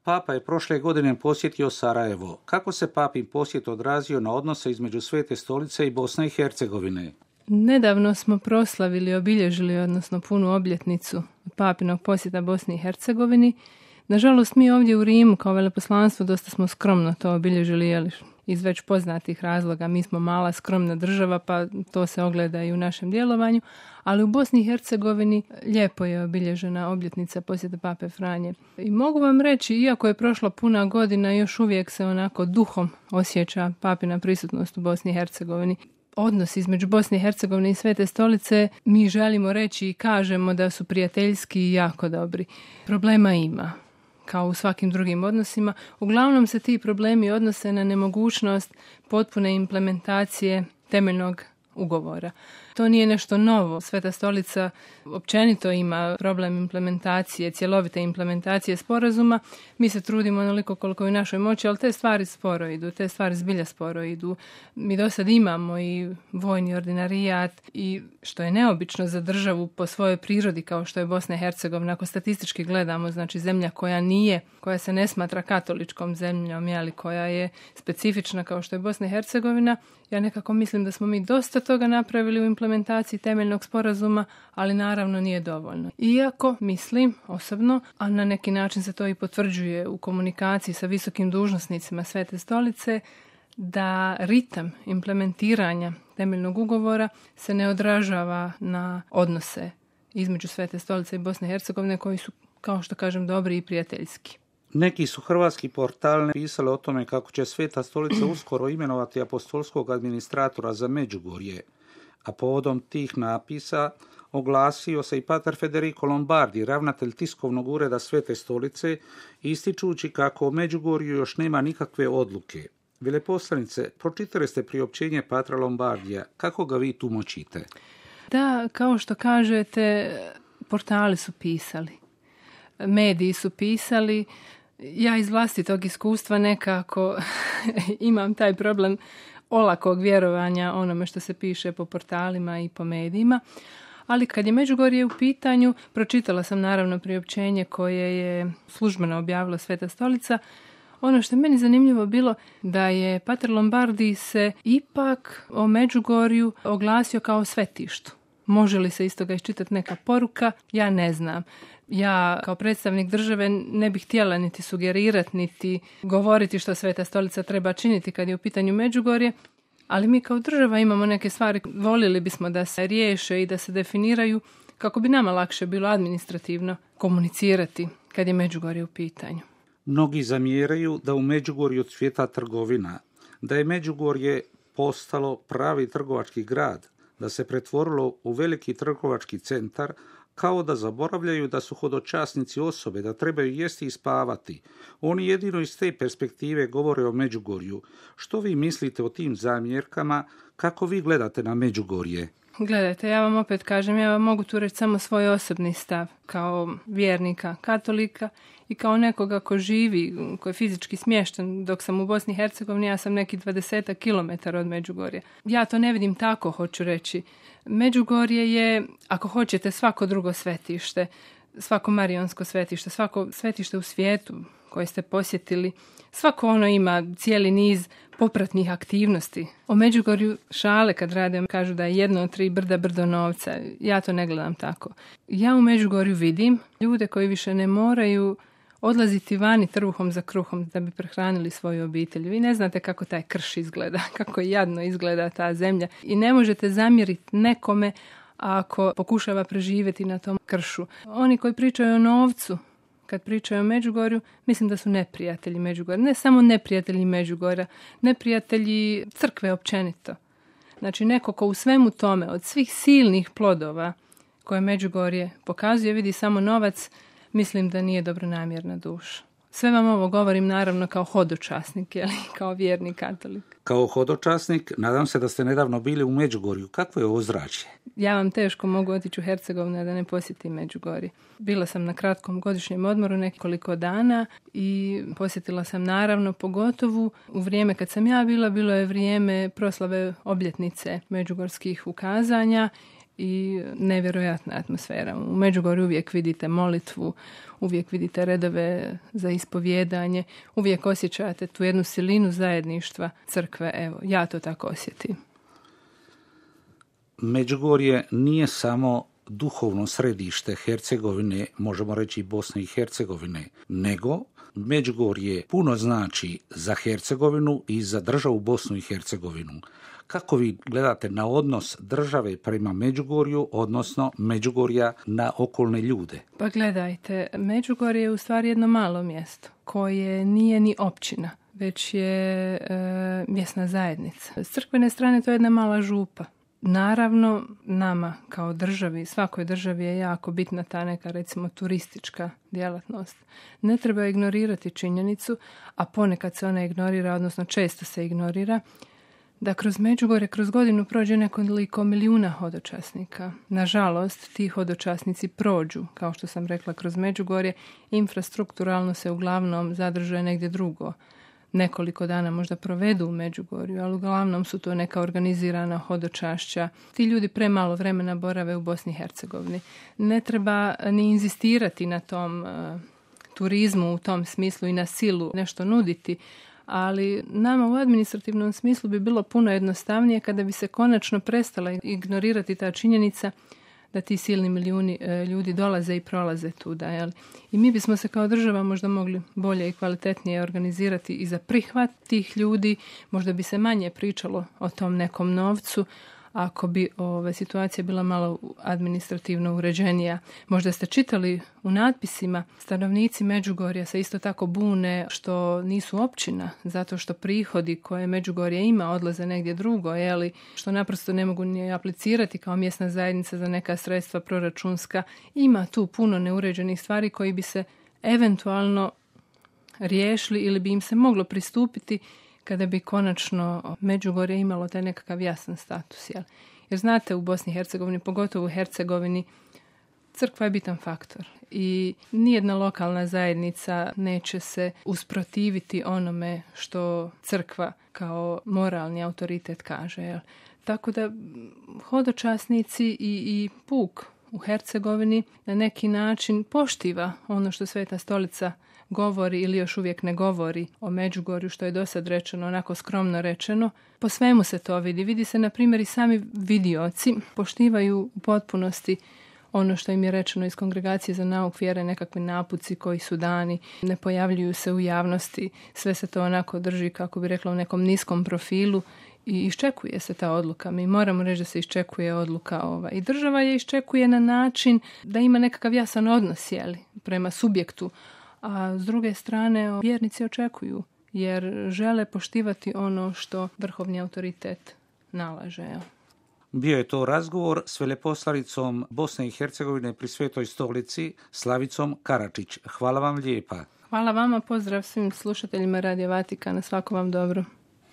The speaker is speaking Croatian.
Papa je prošle godine posjetio Sarajevo. Kako se papin posjet odrazio na odnose između Svete stolice i Bosne i Hercegovine? Nedavno smo proslavili, obilježili, odnosno punu obljetnicu papinog posjeta Bosni i Hercegovini. Nažalost, mi ovdje u Rimu kao veleposlanstvo dosta smo skromno to obilježili, jer iz već poznatih razloga. Mi smo mala, skromna država, pa to se ogleda i u našem djelovanju. Ali u Bosni i Hercegovini lijepo je obilježena obljetnica posjeta Pape Franje. I mogu vam reći, iako je prošla puna godina, još uvijek se onako duhom osjeća papina prisutnost u Bosni i Hercegovini. Odnos između Bosne i Hercegovine i Svete stolice, mi želimo reći i kažemo da su prijateljski i jako dobri. Problema ima, kao u svakim drugim odnosima. Uglavnom se ti problemi odnose na nemogućnost potpune implementacije temeljnog ugovora. To nije nešto novo. Sveta stolica općenito ima problem implementacije, cjelovite implementacije sporazuma. Mi se trudimo onoliko koliko je u našoj moći, ali te stvari sporo idu, te stvari zbilja sporo idu. Mi do sad imamo i vojni ordinarijat i što je neobično za državu po svojoj prirodi kao što je Bosna i Hercegovina. Ako statistički gledamo, znači zemlja koja se ne smatra katoličkom zemljom, koja je specifična kao što je Bosna i Hercegovina, ja nekako mislim da smo mi dosta toga napravili u implementaciji temeljnog sporazuma, ali naravno nije dovoljno. Iako mislim osobno, a na neki način se to i potvrđuje u komunikaciji sa visokim dužnosnicima Svete stolice, da ritam implementiranja temeljnog ugovora se ne odražava na odnose između Svete stolice i Bosne i Hercegovine koji su, kao što kažem, dobri i prijateljski. Neki su hrvatski portali pisali o tome kako će Sveta stolica uskoro imenovati apostolskog administratora za Međugorje, a povodom tih napisa oglasio se i pater Federico Lombardi, ravnatelj tiskovnog ureda Svete stolice, ističući kako o Međugorju još nema nikakve odluke. Veleposlanice, pročitali ste priopćenje patra Lombardija. Kako ga vi tumačite? Da, kao što kažete, portali su pisali, mediji su pisali. Ja iz vlastitog iskustva nekako imam taj problem olakog vjerovanja onome što se piše po portalima i po medijima. Ali kad je Međugorje u pitanju, pročitala sam naravno priopćenje koje je službeno objavila Sveta stolica. Ono što je meni zanimljivo bilo da je pater Lombardi se ipak o Međugorju oglasio kao svetištu. Može li se iz toga iščitati neka poruka? Ja ne znam. Ja kao predstavnik države ne bih htjela niti sugerirati, niti govoriti što Sveta stolica treba činiti kad je u pitanju Međugorje, ali mi kao država imamo neke stvari, voljeli bismo da se riješe i da se definiraju kako bi nama lakše bilo administrativno komunicirati kad je Međugorje u pitanju. Mnogi zamjeraju da u Međugorju cvjeta trgovina, da je Međugorje postalo pravi trgovački grad, da se pretvorilo u veliki trgovački centar, kao da zaboravljaju da su hodočasnici osobe, da trebaju jesti i spavati. Oni jedino iz te perspektive govore o Međugorju. Što vi mislite o tim zamjerkama? Kako vi gledate na Međugorje? Gledajte, ja vam opet kažem, ja vam mogu tu reći samo svoj osobni stav kao vjernika, katolika i kao nekoga ko živi, ko je fizički smješten. Dok sam u Bosni i Hercegovini, ja sam neki 20 kilometara od Međugorja. Ja to ne vidim tako, hoću reći. Međugorje je, ako hoćete, svako drugo svetište, svako marijonsko svetište, svako svetište u svijetu koje ste posjetili. Svako ono ima cijeli niz popratnih aktivnosti. O Međugorju šale kad rade kažu da je jedno od 3 brda brdo novca. Ja to ne gledam tako. Ja u Međugorju vidim ljude koji više ne moraju odlaziti vani trbuhom za kruhom da bi prehranili svoju obitelj. Vi ne znate kako taj krš izgleda, kako jadno izgleda ta zemlja i ne možete zamjeriti nekome ako pokušava preživjeti na tom kršu. Oni koji pričaju o novcu, kad pričaju o Međugorju, mislim da su neprijatelji Međugorja. Ne samo neprijatelji Međugorja, neprijatelji crkve općenito. Znači neko ko u svemu tome, od svih silnih plodova koje Međugorje pokazuje, vidi samo novac, mislim da nije dobronamjerna duša. Sve vam ovo govorim naravno kao hodočasnik, kao vjerni katolik. Kao hodočasnik, nadam se da ste nedavno bili u Međugorju. Kakvo je ozračje? Ja vam teško mogu otići u Hercegovinu da ne posjetim Međugorje. Bila sam na kratkom godišnjem odmoru nekoliko dana i posjetila sam naravno pogotovo u vrijeme kad sam ja bila, bilo je vrijeme proslave obljetnice međugorskih ukazanja i nevjerojatna atmosfera. U Međugorju uvijek vidite molitvu, uvijek vidite redove za ispovjedanje, uvijek osjećate tu jednu silinu zajedništva crkve. Evo, ja to tako osjetim. Međugorje nije samo duhovno središte Hercegovine, možemo reći i Bosne i Hercegovine, nego Međugorje puno znači za Hercegovinu i za državu Bosnu i Hercegovinu. Kako vi gledate na odnos države prema Međugorju, odnosno Međugorja na okolne ljude? Pa gledajte, Međugorje je u stvari jedno malo mjesto koje nije ni općina, već je mjesna zajednica. S crkvene strane to je jedna mala župa. Naravno, nama kao državi, svakoj državi je jako bitna ta neka, recimo, turistička djelatnost. Ne treba ignorirati činjenicu, a ponekad se ona ignorira, odnosno često se ignorira, da kroz Međugorje, kroz godinu prođe nekoliko milijuna hodočasnika. Nažalost, ti hodočasnici prođu, kao što sam rekla, kroz Međugorje, infrastrukturalno se uglavnom zadržuje negdje drugo. Nekoliko dana možda provedu u Međugorju, ali uglavnom su to neka organizirana hodočašća. Ti ljudi premalo vremena borave u Bosni i Hercegovini. Ne treba ni inzistirati na tom turizmu u tom smislu i na silu nešto nuditi, ali nama u administrativnom smislu bi bilo puno jednostavnije kada bi se konačno prestala ignorirati ta činjenica da ti silni milijuni ljudi dolaze i prolaze tuda. Jel? I mi bismo se kao država možda mogli bolje i kvalitetnije organizirati i za prihvat tih ljudi. Možda bi se manje pričalo o tom nekom novcu ako bi situacija bila malo administrativno uređenija. Možda ste čitali u natpisima, stanovnici Međugorja se isto tako bune što nisu općina, zato što prihodi koje Međugorje ima odlaze negdje drugo, što naprosto ne mogu ni aplicirati kao mjesna zajednica za neka sredstva proračunska. Ima tu puno neuređenih stvari koji bi se eventualno riješili ili bi im se moglo pristupiti kada bi konačno Međugorje imalo taj nekakav jasan status. Jer znate, u Bosni i Hercegovini, pogotovo u Hercegovini, crkva je bitan faktor i nijedna lokalna zajednica neće se usprotiviti onome što crkva kao moralni autoritet kaže. Tako da hodočasnici i puk u Hercegovini na neki način poštiva ono što Sveta Stolica govori ili još uvijek ne govori o Međugorju, što je do sad rečeno, onako skromno rečeno. Po svemu se to vidi. Vidi se, na primjer, i sami vidioci poštivaju u potpunosti ono što im je rečeno iz Kongregacije za nauk vjere, nekakvi napuci koji su dani, ne pojavljuju se u javnosti, sve se to onako drži, kako bi rekla, u nekom niskom profilu i iščekuje se ta odluka. Mi moramo reći da se iščekuje odluka i država je iščekuje na način da ima nekakav jasan odnos prema subjektu, a s druge strane vjernici očekuju jer žele poštivati ono što vrhovni autoritet nalaže. Bio je to razgovor s veleposlanicom Bosne i Hercegovine pri Svetoj Stolici, Slavicom Karačić. Hvala vam lijepa. Hvala vama, pozdrav svim slušateljima Radio Vatikana, svako vam dobro.